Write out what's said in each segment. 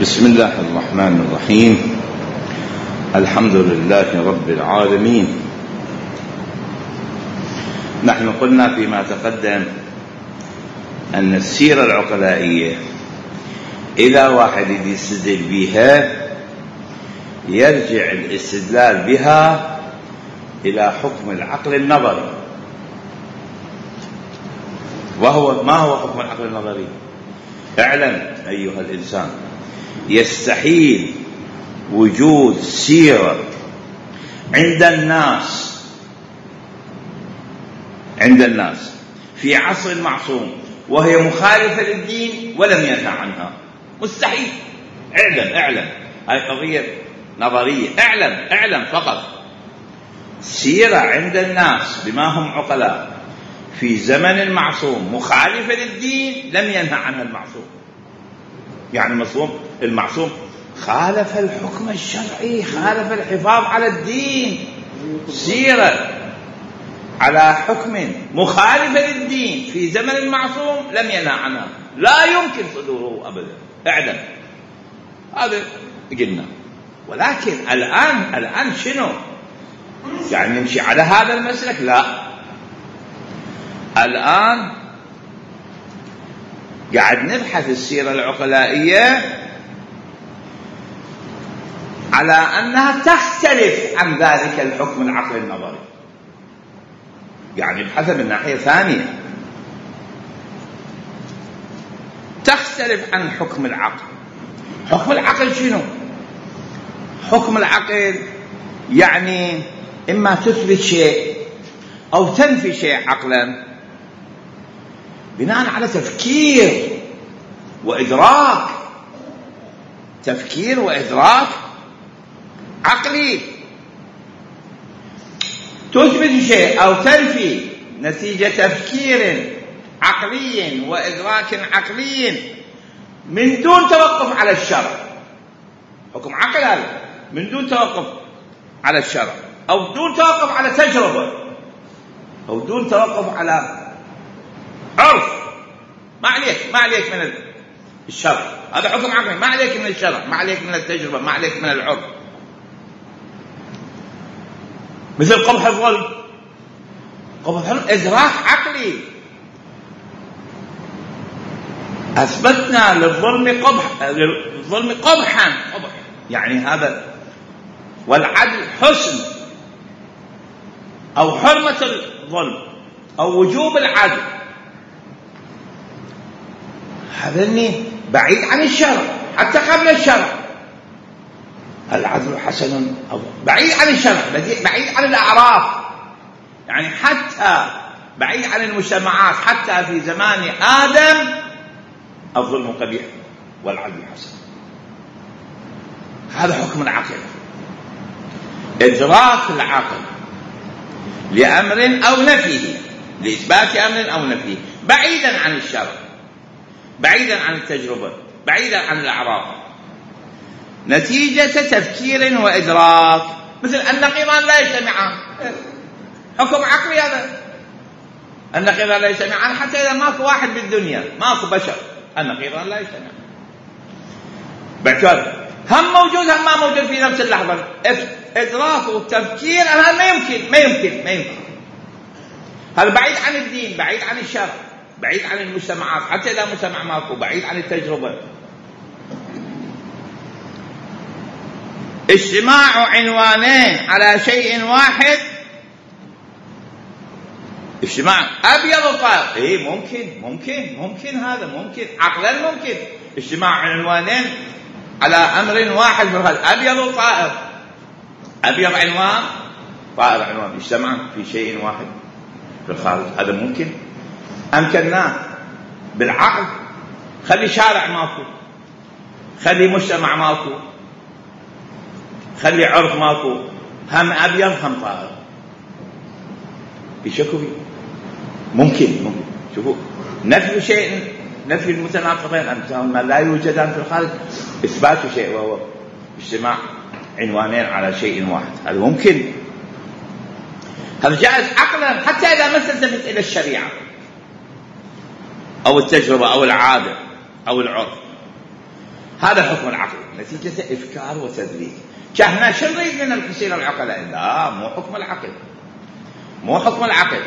بسم الله الرحمن الرحيم. الحمد لله رب العالمين. نحن قلنا فيما تقدم أن السيرة العقلائية إذا واحد يستدل بها يرجع الاستدلال بها إلى حكم العقل النظري. ما هو حكم العقل النظري؟ اعلم أيها الإنسان، يستحيل وجود سيرة عند الناس في عصر المعصوم وهي مخالفة للدين ولم ينهى عنها. مستحيل. اعلم هاي قضية نظرية. اعلم فقط. سيرة عند الناس بما هم عقلاء في زمن المعصوم مخالفة للدين لم ينهى عنها المعصوم. يعني المعصوم خالف الحكم الشرعي، خالف الحفاظ على الدين. سيرة على حكم مخالفة للدين في زمن المعصوم لم ينهى عنها، لا يمكن صدوره أبدا. اعلم هذا قلنا. ولكن الآن شنو؟ يعني نمشي على هذا المسلك؟ لا، الآن قاعد نبحث السيرة العقلائية على أنها تختلف عن ذلك الحكم العقل النظري. يعني نبحث من ناحية ثانية، تختلف عن حكم العقل. حكم العقل شنو؟ حكم العقل يعني إما تثبت شيء أو تنفي شيء عقلا بناء على تفكير وإدراك. تفكير وإدراك عقلي. تثبت شيء أو تنفي نتيجة تفكير عقلي وإدراك عقلي من دون توقف على الشرع. حكم عقل هذا من دون توقف على الشرع، أو دون توقف على تجربة، أو دون توقف على عرف. ما عليك من الشرع. هذا حكم عقلي. ما عليك من الشرع، ما عليك من التجربة، ما عليك من العرف. مثل قبح الظلم. إدراك عقلي. أثبتنا للظلم قبحا. يعني هذا. والعدل حسن أو حرمة الظلم أو وجوب العدل. هذا بعيد عن الشرع حتى قبل الشرع. العدل حسن أو بعيد عن الشرع، بعيد عن الأعراف، يعني حتى بعيد عن المجتمعات. حتى في زمان آدم الظلم قبيح والعدل حسن. هذا حكم العقل. إدراك العقل لأمر أو نفيه، لإثبات أمر أو نفيه، بعيدا عن الشرع، بعيدا عن التجربة، بعيدا عن الأعراف، نتيجة تفكير وإدراك. مثل النقيضان لا يجتمعان. حكم عقلي هذا. النقيضان لا يجتمعان حتى إذا ماكو واحد بالدنيا، ماكو بشر، النقيضان لا يجتمعان. باعتبار هم موجود هم ما موجود في نفس اللحظة. إدراك والتفكير هذا ما يمكن. هذا بعيد عن الدين، بعيد عن الشرع، بعيد عن المجتمعات. حتى إذا مجتمع ماكو، بعيد عن التجربة. اجتماع عنوانين على شيء واحد. اجتماع أبيض وطائر. ممكن هذا ممكن عقلا. ممكن اجتماع عنوانين على أمر واحد في الخارج. أبيض وطائر. أبيض عنوان، طائر عنوان، اجتمع في شيء واحد في الخارج. هذا ممكن. أمكنناه بالعقل. خلي شارع ماكو، خلي مجتمع ماكو، خلي عرف ماكو، هم أبيض هم طائر. يشكوا فيه. ممكن. شوفوا، نفي شيء، نفي المتناقضين ما لا يوجدان في الخارج، إثبات شيء وهو اجتماع عنوانين على شيء واحد. هذا ممكن. هذا جائز عقلا حتى إذا ما تلتفت إلى الشريعة أو التجربة أو العادة أو العرف. هذا حكم العقل نتيجة إفكار وتدليس. كهنا شو نريد من السيرة العقلاء؟ لا، مو حكم العقل، مو حكم العقل،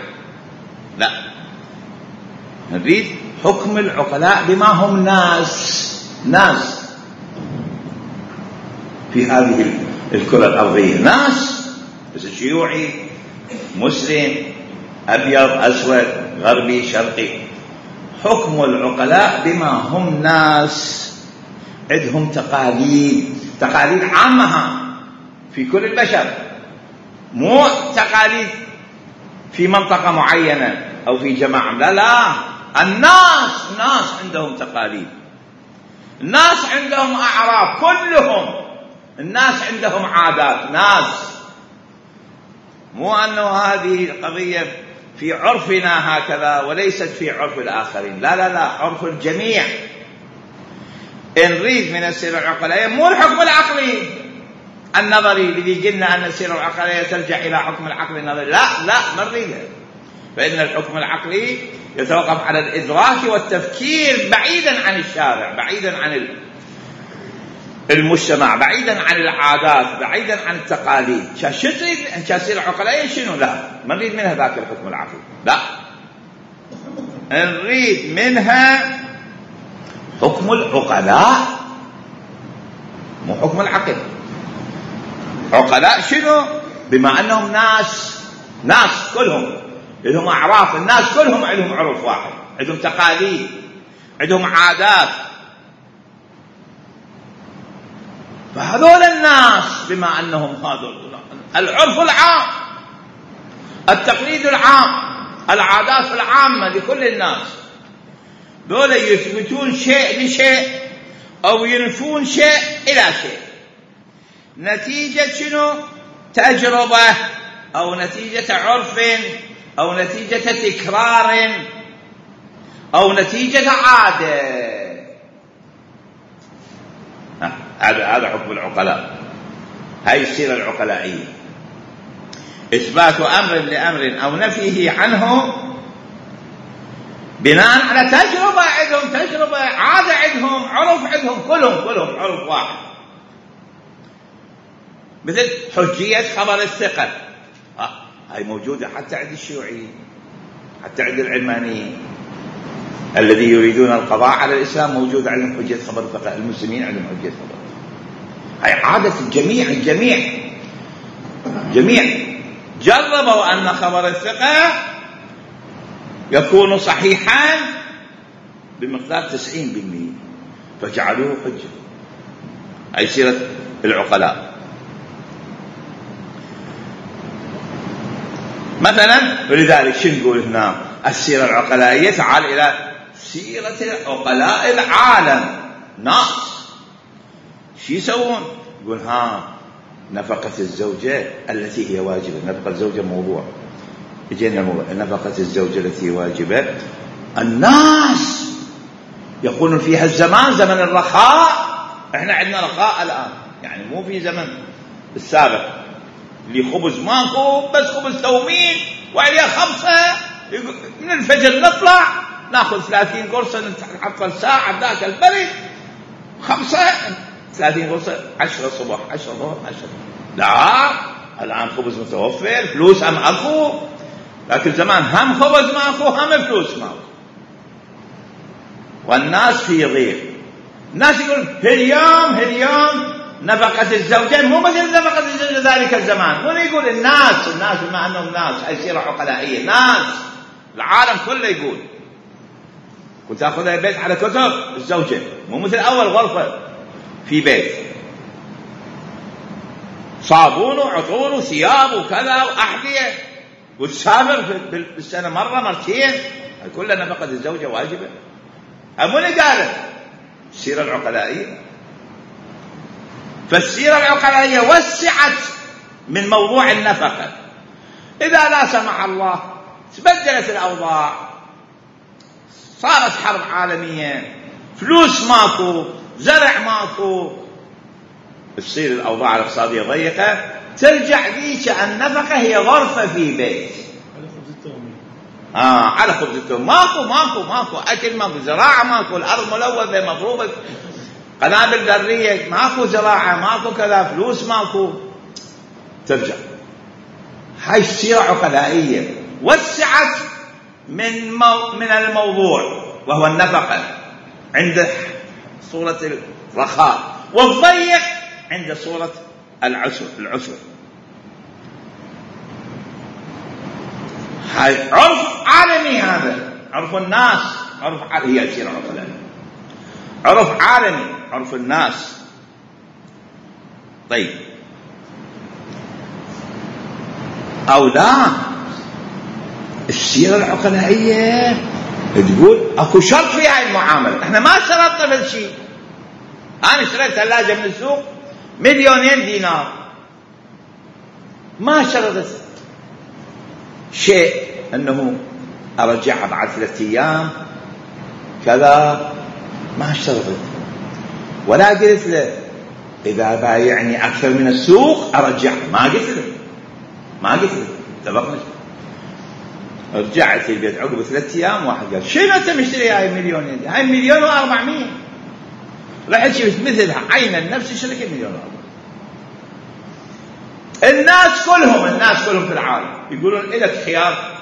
لا، نريد حكم العقلاء بما هم ناس في هذه الكرة الأرضية، ناس، بس شيوعي مسلم أبيض أسود غربي شرقي. حكم العقلاء بما هم ناس عندهم تقاليد عامة في كل البشر، مو تقاليد في منطقة معينة أو في جماعة، لا، الناس عندهم تقاليد، الناس عندهم أعراف، كلهم الناس عندهم عادات، ناس، مو أنه هذه قضية في عرفنا هكذا وليست في عرف الآخرين، لا، عرف الجميع. نريد من السيرة العقلية مو الحكم العقلي النظري اللي قلنا أن السيرة العقلية ترجع إلى حكم العقل النظري، لا ما نريده، فإن الحكم العقلي يتوقف على الإدراك والتفكير بعيدا عن الشارع، بعيدا عن المجتمع، بعيدا عن العادات، بعيدا عن التقاليد. شو تريد أن السيرة العقلية شنو؟ لا، ما نريد منها ذاك الحكم العقلي، لا، نريد منها حكم العقلاء مو حكم العقل. عقلاء شنو؟ بما أنهم ناس كلهم لهم أعراف، الناس كلهم عندهم عرف واحد، عندهم تقاليد، عندهم عادات، فهذول الناس بما أنهم هذول العرف العام، التقليد العام، العادات العامة لكل الناس، دول يثبتون شيء لشيء أو ينفون شيء إلى شيء، نتيجة شنو؟ تجربة أو نتيجة عرف أو نتيجة تكرار أو نتيجة عادة. هذا حكم العقلاء، هاي السيرة العقلائية، إثبات أمر لأمر أو نفيه عنه بناء على تجربة عندهم، تجربة، عادة عندهم، عرف عندهم، كلهم عرف واحد. مثل حجية خبر الثقة، هاي موجودة حتى عند الشيوعيين، حتى عند العلمانيين الذي يريدون القضاء على الإسلام، موجودة عندهم حجية خبر الثقة، المسلمين عندهم حجية خبر الثقة. هاي عادة الجميع جربوا أن خبر الثقة يكون صحيحا بمقدار 90%، فجعلوه حجة. هاي سيرة العقلاء. مثلا. ولذلك شو نقول هنا السيرة العقلائية؟ تعال إلى سيرة عقلاء العالم. ناس شو يسوون؟ يقول نفقة الزوجة التي هي واجبة. نفقة الزوجة موضوع يجينا الموضوع. نفقة الزوجة التي واجبة. الناس يقولون فيها الزمان زمن الرخاء. احنا عندنا رخاء الآن، يعني مو في زمن السابق اللي خبز ماكو، بس خبز تومين وعليها 5 من الفجر نطلع ناخذ 30 قرصة نتحصل ساعة ذاك البرد 5 30 قرصة 10 صبح 10 ظهر 10. لا الآن خبز متوفر، فلوس هم أكو، لكن زمان هم خبز ماكو هم فلوس ماكو، والناس في ضيق. الناس يقول اليوم نفقة الزوجين مو مثل نفقة الزوجة ذلك الزمان. ولا يقول الناس بما أنهم ناس، هاي سيرة عقلائية. ناس العالم كله يقول كنت أخذها بيت على كتب الزوجة، مو مثل أول غرفة في بيت، صابون وعطور وثياب وكذا وأحذية، وتسافر بالسنة مرة مرتين، كلها نفقة الزوجة واجبة. أمو اللي قالت السيرة العقلائية. فالسيرة العقلائية وسعت من موضوع النفقة. إذا لا سمح الله تبدلت الأوضاع، صارت حرب عالمية، فلوس ماكو، زرع ماكو، تصير الأوضاع الاقتصادية ضيقة، ترجع ذيك النفقة هي غرفة في بيت على خبز التوم. ماكو أكل، ماكو زراعة، ماكو الأرض ملوثة مضروبة، قنابل ذرية، ماكو زراعة، ماكو كذا، فلوس ماكو، ترجع. هاي السيرة عقلائية. وسعت من الموضوع وهو النفقة عند صورة الرخاء، والضيق عند صورة العسر. هاي عرف عالمي، هذا عرف الناس، هي السيرة العقلائية، عرف عالمي، عرف الناس. طيب، أو لا، السيرة العقلائية تقول اكو شرط في هاي المعاملة. احنا ما شرطنا بالشيء. انا اشتريت ثلاجة من السوق 2,000,000 دينار، ما شرطت شيء انه ارجعها بعد 3 أيام كذا، ما اشترطت. ولا قلت له اذا بايعني اكثر من السوق ارجعها، ما قلت له اتفقنا. رجعت البيت عقب 3 أيام، واحد قال شنو انت مشتري هاي 1,000,000 دي؟ هاي 1,400,000. رحت شفت مثلها عينا نفس الشركة 1,400,000. الناس كلهم في العالم يقولون لك خيار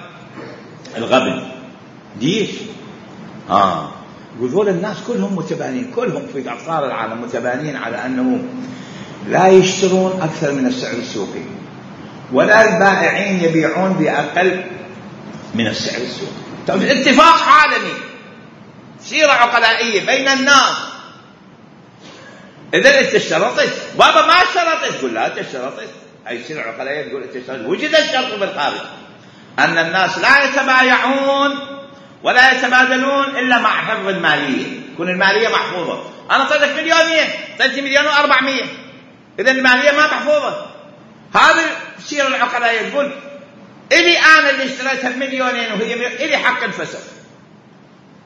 الغبن. ليش؟ يقول الناس كلهم متبانين، كلهم في أقطار العالم متبانين على أنه لا يشترون أكثر من السعر السوقي، ولا البائعين يبيعون بأقل من السعر السوقي. طيب، اتفاق عالمي، سيرة عقلائية بين الناس. إذا أنت اشترطت، بابا ما اشترطت، تقول لا أنت اشترطت. هاي السيرة العقلائية تقول أنت اشترطت. وجد الشرط بالخارج أن الناس لا يتبايعون ولا يتبادلون إلا مع حفظ المالية، تكون المالية محفوظة. أنا أعطيتك 1,000,000، أعطيتني 1,400,000، إذا المالية ما محفوظة. هذه السيرة العقلائية تقول إلي أنا اللي اشتريتها 2,000,000 وهي إلي حق الفسخ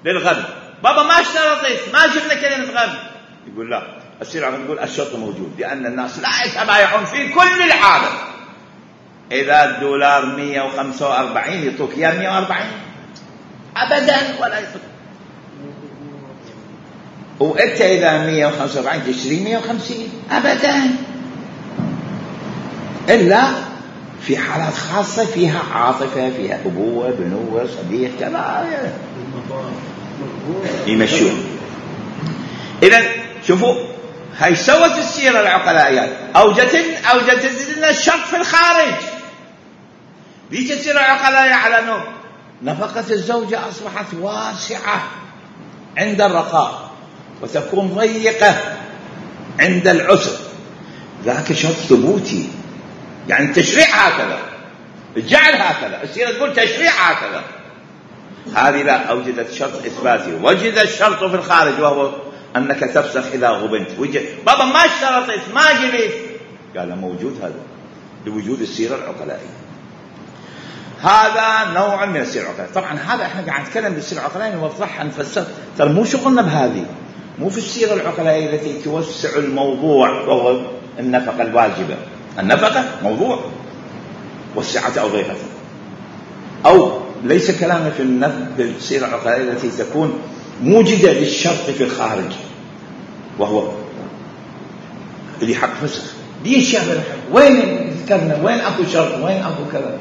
للغبن. بابا ما اشترطت، ما جبنا كلمة غبن. يقول لا، السيرة العقلائية تقول الشرط موجود، لأن الناس لا يتبايعون في كل العالم. إذا الدولار 145 يعطوك إياه 140 أبدا، ولا يعطوك. وأنت إذا 145 تشتري 150 أبدا، إلا في حالات خاصة فيها عاطفة، فيها أبوة، بنوة، صديق، كذا يمشون. إذن شوفوا، هاي سوت السيرة العقلائية، أوجدت لنا الشرط في الخارج. ليش السيرة العقلائية على أنه نفقة الزوجة أصبحت واسعة عند الرخاء وتكون ضيقة عند العسر، ذاك شرط ثبوتي. يعني التشريع هكذا، الجعل هكذا، السيرة تقول تشريع هكذا. هذه لا، أوجدت شرط إثباتي. وجد الشرط في الخارج وهو أنك تفسخ إذا غبنت. وجد بابا ما اشترطت، ما جبت، قال موجود هذا لوجود السيرة العقلائية. هذا نوع من السيرة العقلائية. طبعا هذا احنا قاعد نتكلم بالسيرة العقلائية، نوضحها، نفسر. ترى مو شغلنا بهذه، مو في السيرة العقلائية التي توسع الموضوع وهو النفقة الواجبة. النفقة موضوع وسعته أو ضيقته، أو ليس كلامنا في السيرة العقلائية التي تكون موجدة للشرط في الخارج وهو اللي حق فسخ. ليش يا بلحق؟ وين ذكرنا؟ وين أكو شرط؟ وين أكو كذا؟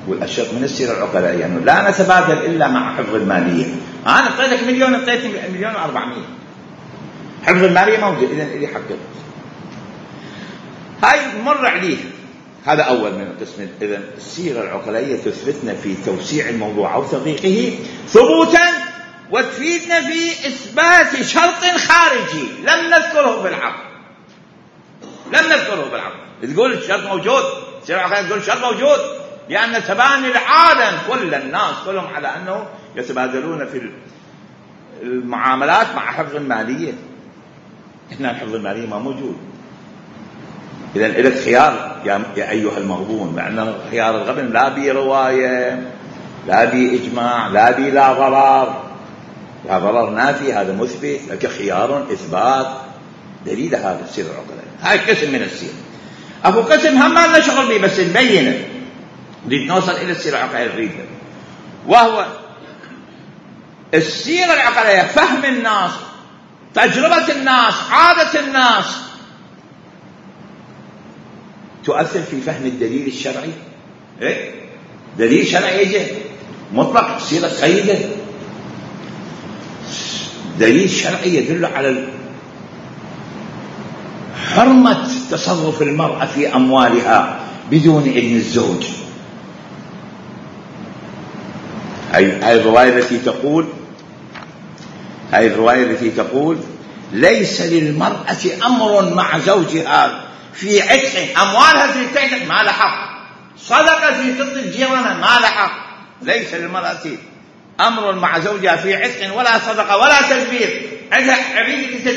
والشرط من السيرة العقلائية يعني لا نتبادل إلا مع حفظ المالية. أنا أعطيتك 1,000,000، أعطيتني 1,400,000، حفظ المالية موجود، إذن اللي حق. هاي مر عليه. هذا أول من القسم. إذن السيرة العقلائية تثبتنا في توسيع الموضوع أو تضييقه ثبوتا، وتفيدنا في إثبات شرط خارجي لم نذكره بالعقل. تقول الشرط موجود، السيرة العقلائية تقول الشرط موجود، لأن تباني العالم كل الناس كلهم على أنه يتبادلون في المعاملات مع حفظ المالية. إحنا الحفظ المالية ما موجود. إذن لك خيار يا أيها المغبون، لأن خيار الغبن لا بي رواية، لا بي إجماع، لا بي لا ضرر نافي، هذا مثبت لك خيار إثبات دليل. هذا السيرة العقلائية. هاي قسم من السيرة. أبو قسم هم ما لنا شغل به، بس نبينه، نريد نوصل إلى السيرة العقلائية نريدها، وهو السيرة العقلائية فهم الناس تجربة الناس، عادة الناس تؤثر في فهم الدليل الشرعي. دليل شرعي يجي مطلق تصير قيده. دليل شرعي يدل على حرمة تصرف المرأة في أموالها بدون إذن الزوج. هاي الرواية التي تقول ليس للمرأة أمر مع زوجها في عتق، أموالها في تعتق ما لها حق، صدقة في تطلب جيرانها ما لها حق. ليس للمرأة أمر مع زوجها في عتق ولا صدقة ولا تدبير، عندها عبيد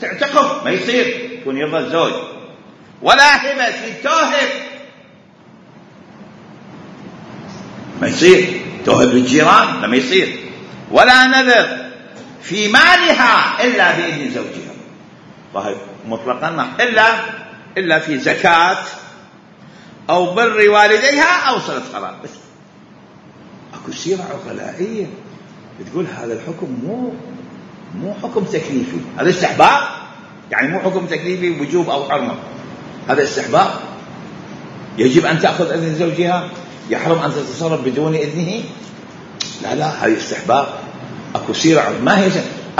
تعتقه ما يصير يكون يرضى الزوج، ولا هبة في توهب ما يصير، توهب للجيران ما يصير، ولا نذر في مالها إلا بإذن زوجها. طيب مطلقا إلا في زكاة أو بر والديها أو صلة قرابة. بس أكو سيرة عقلائية بتقول هذا الحكم مو حكم تكليفي، هذا استحباب، يعني مو حكم تكليفي وجوب أو حرمة، هذا استحباب. يجب أن تأخذ إذن زوجها، يحرم أن تتصرف بدون إذنه. لا هذا استحباب. أكو سيرة ما هي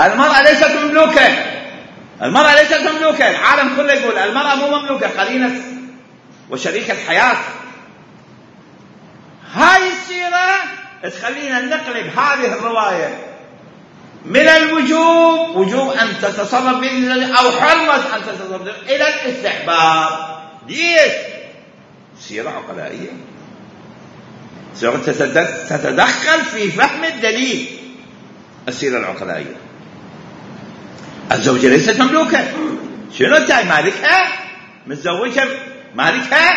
المرأة ليست مملوكة، المرأة ليست مملوكة. العالم كله يقول المرأة مو مملوكة، قرينة وشريكة حياة. هاي السيرة تخلينا نقلب هذه الرواية من الوجوب، وجوب أن تتصرف بإذن أو حرمة أن تتصرف، إلى الاستحباب. ليش؟ سيرة عقلائية، سيرة تتدخل في فهم الدليل. السيرة العقلائية الزوجة ليست مملوكة، شنو انتهي مالكها، متزوجها مالكها،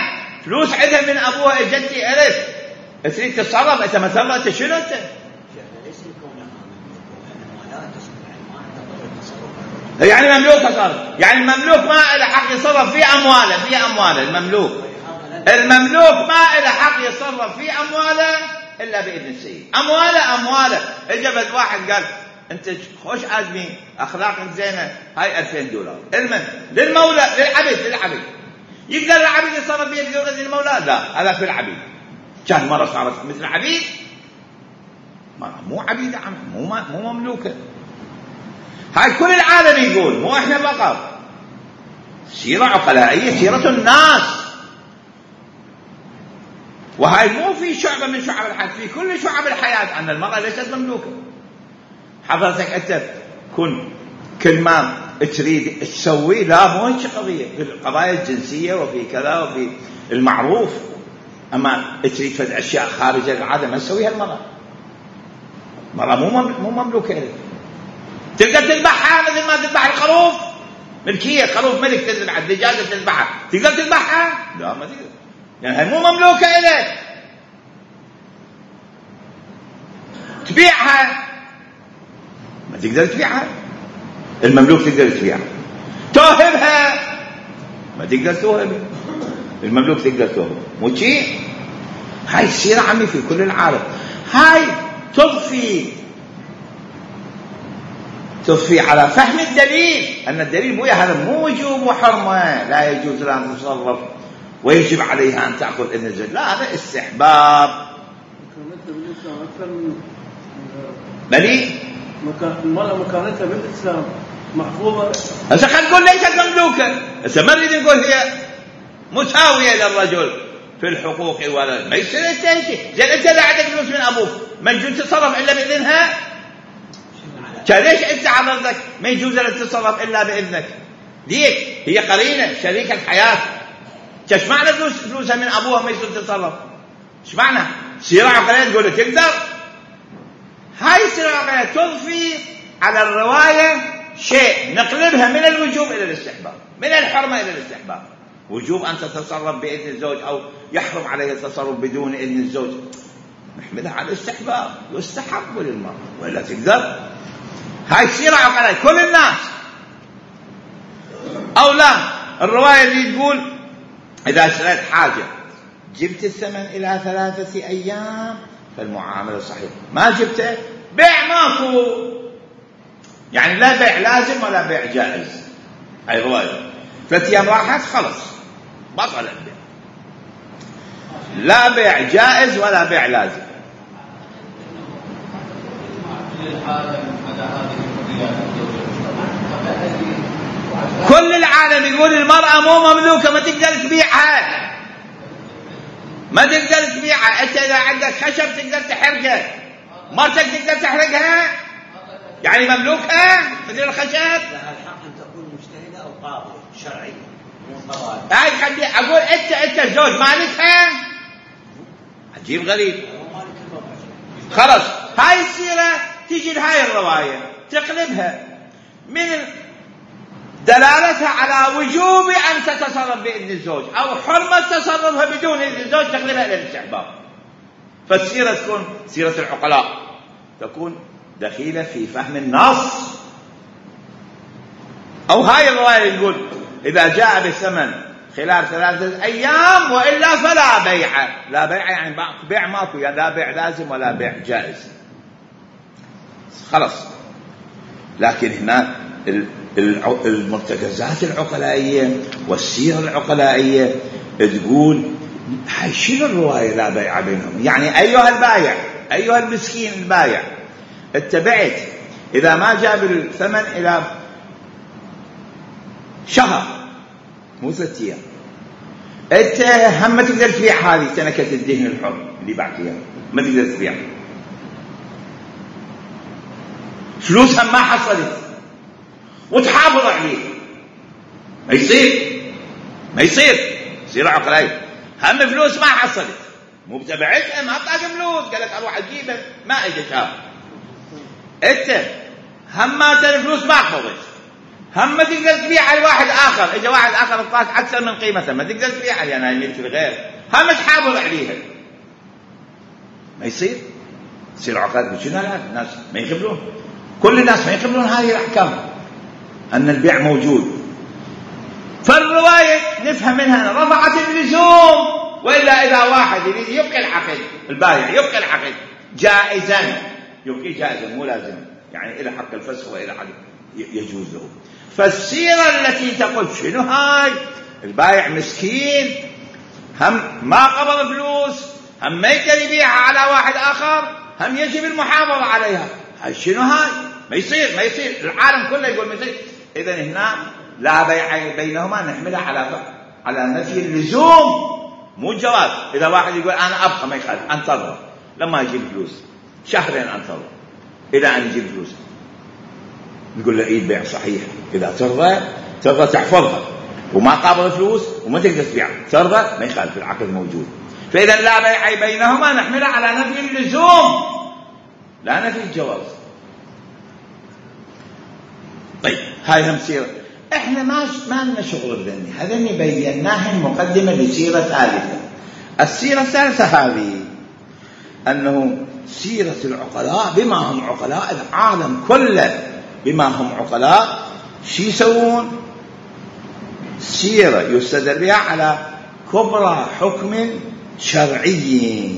فلوس عندها من أبوها جدتي ألف، تريد تتصرف أنت مثلا أنت شنو أنت؟ يعني مملوك صار، يعني المملوك ما له حق يتصرف في أمواله المملوك ما له حق يتصرف في أمواله إلا بإذن السيد. أمواله اجبت واحد قال أنت خوش آدمي، أخلاقك زينة، هاي $2000 للمولى، للعبد. يقدر العبد يتصرف بإذن المولى؟ لا، هذا في العبيد. كان مرة صارت مثل عبيد، مو عبيدة، مو مملوكة. هاي كل العالم يقول، مو احنا فقط. سيرة عقلائية، سيرة الناس. وهاي مو في شعبة من شعب الحياة، في كل شعب الحياة أن المرأة ليست مملوكة. حضرتك أنت كل ما تريد تسوي، لا مو هيك قضية في القضايا الجنسية وفي كذا وفي المعروف. أما تريد فد أشياء خارج العادة ما تسويها المرأة مو مملوكة لك. تقدر تذبحها مثل ما تذبح الخروف، ملكية، خروف ملك تذبح، الدجاجة تذبحها، تقدر تذبحها؟ لا ما تقدر، يعني هي مو مملوكة إليك. تبيعها ما تقدر تبيعها، المملوك تقدر تبيعها. توهبها ما تقدر توهبها، المملوك تقدر توهبها. مو شيء. هاي السيرة عمي في كل العالم. هاي تضفي على فهم الدليل، أن الدليل بويا هذا مو وجوب وحرمة، لا يجوز لها أن تتصرف ويجب عليها أن تأخذ إذن الزوج، لا هذا استحباب. بلي المرأة مكانتها بالإسلام محفوظة. هسه خلينا نقول ليست مملوكة، هسه ما نريد نقول هي مساوية للرجل في الحقوق ولا ما يصير زين أنت لا عندك فلوس من أبوك ما يجوز تتصرف إلا بإذنها؟ ليش أنت حضرتك ما يجوز لك تتصرف إلا بإذنك؟ ديك هي قرينة شريكة حياة، ايش معنى فلوسها من أبوها ما يجوز تتصرف؟ ايش معنى؟ سيرة عقلية تقول تقدر؟ هاي السيرة العقلية تضفي على الرواية شيء نقلبها من الوجوب إلى الاستحباب، من الحرمة إلى الاستحباب. وجوب أن تتصرف بإذن الزوج أو يحرم عليه التصرف بدون إذن الزوج، نحملها على الاستحباب، يستحب للمرأة ولا تقدر. هاي السيرة عقلية كل الناس. أو لا، الرواية اللي تقول إذا اشتريت حاجة جبت الثمن إلى 3 أيام فالمعاملة صحيحة، ما جبته بيع ماكو، يعني لا بيع لازم ولا بيع جائز. هاي رواية 3 أيام راحت خلص بطل البيع، لا بيع جائز ولا بيع لازم. كل العالم يقول المرأة مو مملوكة، ما تقدر تبيعها، ما تقدر تبيعها. انت اذا عندك خشب تقدر تحرقه، مرتك تقدر تحرقها، يعني مملوكة مثل الخشب. لها الحق ان تكون مجتهدة او قاضية شرعية مو قضائية. هاي خلي اقول انت الزوج مالكها، عجيب غريب. خلاص هاي السيرة تيجي لهاي الرواية تقلبها من دلالتها على وجوب أن تتصرف بإذن الزوج أو حرمة تصرفها بدون إذن الزوج، تقلبها إلى الاستحباب. فالسيرة تكون سيرة العقلاء، تكون دخيلة في فهم النص. أو هاي الرواية يقول إذا جاء بالثمن خلال 3 أيام وإلا فلا بيع. لا بيع يعني بيع ماكو، يعني لا بيع لازم ولا بيع جائز خلاص. لكن هنا المرتكزات العقلائية والسيرة العقلائية تقول هاي شنو الرواية لا بيع بينهم؟ يعني أيها البايع، أيها المسكين البايع، اتبعت إذا ما جاب الثمن إلى شهر مو 3 أيام، انت هم ما تقدر تبيع هذه تنكة الدهن الحر اللي بعتيها، ما تقدر تبيع، فلوسها ما حصلت وتحافظ عليه، ما يصير سيرة عقلائية. هم فلوس ما حصلت، مو بتبعتها ما طاق فلوس، قال لك اروح اجيبها ما اجى شهر، انت هم ما الفلوس ما حفظت، هم ما تقدر تبيعها لواحد اخر، اجى واحد اخر اعطاك اكثر من قيمتها ما تقدر تبيعها لانها ملك الغير، هم تحافظ عليها، ما يصير عقد. شنو هذا؟ الناس ما يقبلون، كل الناس ما يقبلون هذه الاحكام ان البيع موجود. فالروايه نفهم منها رفعت اللزوم، والا اذا واحد يريد يبقي العقد، البائع يبقي العقد جائزا، يبقي جائزا مو لازم، يعني الى حق الفسخ والى حق يجوز له. فالسيرة التي تقول شنو هاي البائع مسكين هم ما قبض فلوس، هم ما يقدر يبيعها على واحد آخر، هم يجب المحافظة عليها، هاي شنو هاي؟ ما يصير العالم كله يقول ما يصير. إذن هنا لا بيع بينهما نحملها على نفي اللزوم مو الجواز. إذا واحد يقول أنا أبقى ما يخالف، أنتظر لما يجيب فلوس، 2 شهر أنتظر إلى أن يجيب فلوس، نقول له إيه بيع صحيح. إذا ترضى تحفظها وما قابل فلوس وما تقدر تبيع، ترضى ما يخالف، العقد موجود. فإذا لا بيع بينهما نحملها على نفي اللزوم لا نفي الجواز. طيب هاي هم سيرة، احنا ما لنا شغل بذني، هذني بيناهن مقدمة لسيرة ثالثة. السيرة الثالثة هذه أنه سيرة العقلاء بما هم عقلاء، العالم كله بما هم عقلاء شو يسوون؟ سيرة يستدل بها على كبرى حكم شرعي،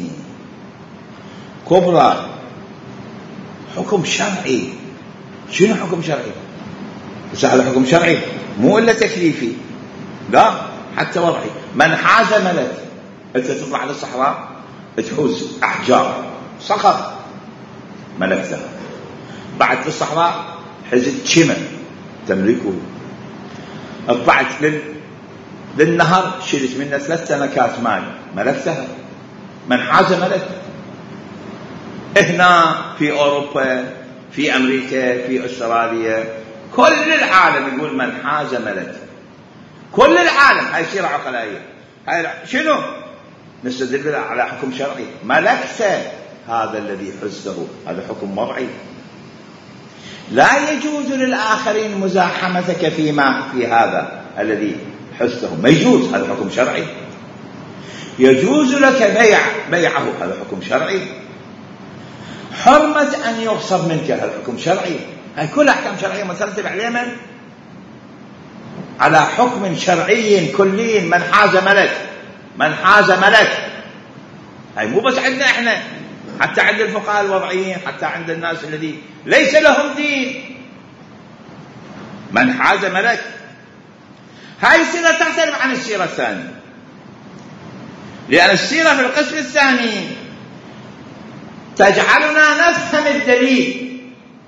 كبرى حكم شرعي. شنو حكم شرعي؟ بس هذا حكم شرعي مو إلا تكليفي، لا حتى وضعي. من حاز ملك، أنت تطلع للصحراء تحوز أحجار صخر ملكتها، بعد في الصحراء حزت شمن تملكه، طلعت للنهر شلت منه 3 سنكات ماء ملكتها، من حاز ملك. هنا في أوروبا، في أمريكا، في أستراليا، كل العالم يقول من حاز ملك، كل العالم. هاي سيرة عقلائية. هاي شنو؟ نستدل على حكم شرعي، ملكته هذا الذي حزته، هذا حكم وضعي. لا يجوز للآخرين مزاحمتك فيما في هذا الذي حزته، ما يجوز، هذا حكم شرعي. يجوز لك بيعه، هذا حكم شرعي. حرمة أن يغصب منك، هذا حكم شرعي. هاي كل أحكام شرعية مترتب عليها على حكم شرعي كلي. من حاز ملك، هاي مو بس عندنا احنا، حتى عند الفقهاء الوضعيين، حتى عند الناس الذي ليس لهم دين، من حاز ملك. هاي السيرة تختلف عن السيرة الثانية، لأن السيرة في القسم الثاني تجعلنا نفهم الدليل،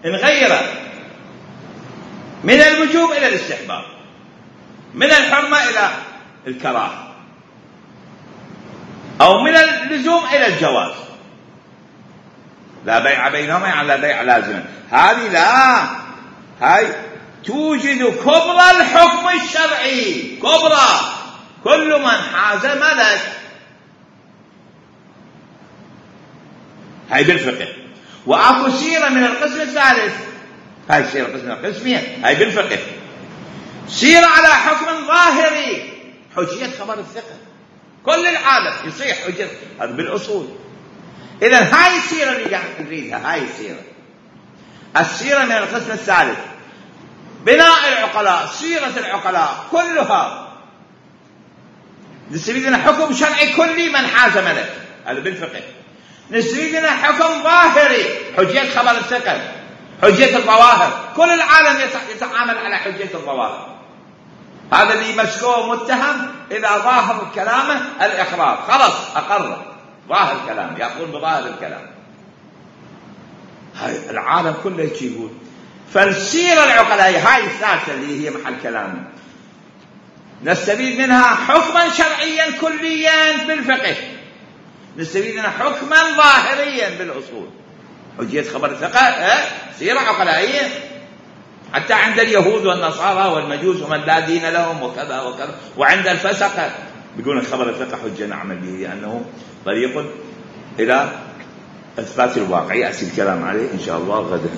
نغيره من الوجوب إلى الاستحباب، من الحرمة إلى الكراهة، أو من اللزوم إلى الجواز. لا بيع بينهما يعني لا بيع لازما. هذه لا، هاي توجد كبرى الحكم الشرعي، كبرى كل من حاز ملك. هاي بالفقه. وأكو سيرة من القسم الثالث، هاي سيرة القسم القسمية، هاي بالفقه سيرة على حكم ظاهري، حجية خبر الثقة، كل العالم يصيح حجة، هذا بالأصول. إذن هاي السيرة اللي قاعد نريدها، هاي السيرة من القسم الثالث، بناء العقلاء، سيرة العقلاء كلها نستفيد منها حكم شرعي كلي من حاز ملك، هذا بالفقه. نستفيد منها حكم ظاهري، حجية خبر الثقة، حجية الظواهر، كل العالم يتعامل على حجية الظواهر. هذا اللي مسكوه متهم إذا ظاهر كلامه الإقرار، خلص أقر، ظاهر كلام، يقول بظاهر الكلام. هاي العالم كله يقول. فالسيرة العقلائية هاي الثالثة اللي هي محل كلامي، نستفيد منها حكما شرعيا كليا بالفقه، نستفيد منها حكما ظاهريا بالأصول، حجية خبر الثقة، سيرة عقلائية. حتى عند اليهود والنصارى والمجوس ومن لا دين لهم وكذا وكذا، وعند الفسقة بيقولون خبر الثقة حجة نعمل به، لأنه طريق إلى إثبات الواقع. يأتي الكلام عليه إن شاء الله غدا.